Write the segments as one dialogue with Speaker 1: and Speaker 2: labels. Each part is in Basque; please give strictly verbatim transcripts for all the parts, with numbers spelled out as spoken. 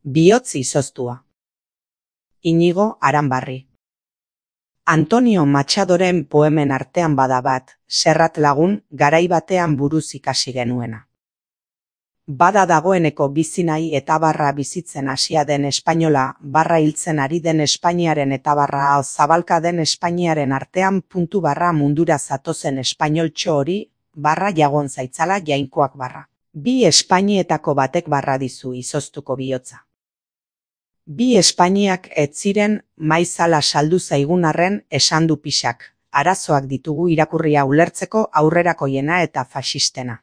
Speaker 1: Bihotz izoztua. Inigo Aranbarri. Antonio Machadoren poemen artean bada bat, Serrat lagun garai batean buruz ikasi genuena. Bada dagoeneko bizi nahi eta barra bizitzen hasia den espainola, barra hiltzen ari den Espainiaren eta barra zabalka den Espainiaren artean puntu barra mundura zatozen espainoltxo hori, barra jagon zaitzala jainkoak barra. Bi Espainietako batek barra dizu izoztuko bihotza. Bi Espainiak ez ziren maizala saldu zaigun arren esan du pixak, arazoak ditugu irakurria ulertzeko aurrerakoiena eta faxistena.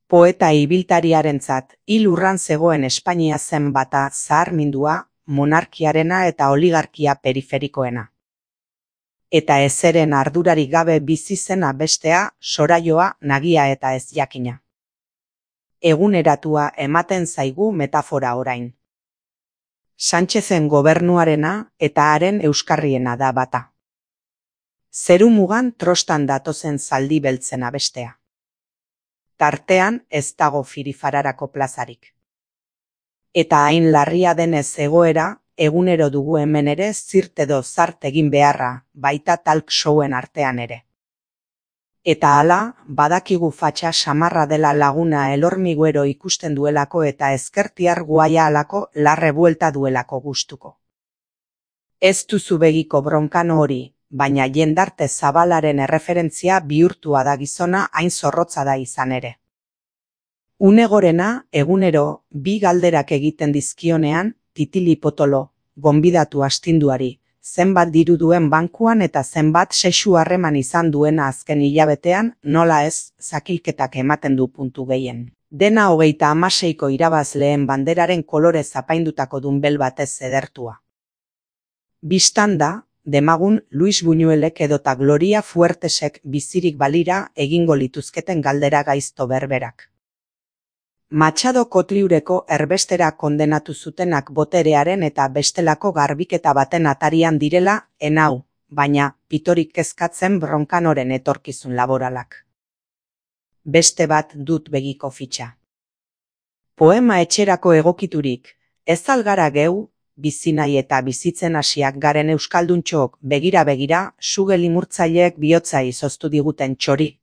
Speaker 1: Poeta ibiltariarentzat hil urran zegoen Espainia zen bata zaharmindua, monarkiarena eta oligarkia periferikoena. Eta ezeren ardurarik gabe bizi zena bestea, soraioa, nagia eta ez jakina. Eguneratua ematen zaigu metafora orain. Sánchezen gobernuarena eta haren euskarriena da bata. Zerumugan trostan datozen zaldi beltzena bestea. Tartean ez dago firifararako plazarik. Eta hain larria denez egoera, egunero dugu hemen ere zirt edo zart egin beharra, baita talk showen artean ere. Eta hala, badakigu fatxa samarra dela laguna elormiguero ikusten duelako eta ezkertiar guaia alako larre buelta duelako gustuko. Ez duzu begiko bronkano hori, baina jendarte zabalaren erreferentzia bihurtua da gizona hain zorrotza da izan ere. Unegorena, egunero, bi galderak egiten dizkionean, titili potolo, gonbidatu astinduari, zenbat diru duen bankuan eta zenbat sexu harreman izan duena azken hilabetean, nola ez, zakilketak ematen du puntu gehien. Dena hogeita hamaseiko irabazleen banderaren kolore zapaindutako dunbel batez edertua. Bistan da, demagun Luis Buñuelek edota Gloria Fuertesek bizirik balira egingo lituzketen galdera gaizto berberak. Machado Kotliureko erbestera kondenatu zutenak boterearen eta bestelako garbiketa baten atarian direla, enau, baina pitorik kezkatzen bronkanoren etorkizun laboralak. Beste bat dut begiko fitxa. Poema etxerako egokiturik, ez algara geu, bizi nahi eta bizitzen hasiak garen euskalduntxook begira-begira, suge limurtzaileek bihotza izoztu diguten txori.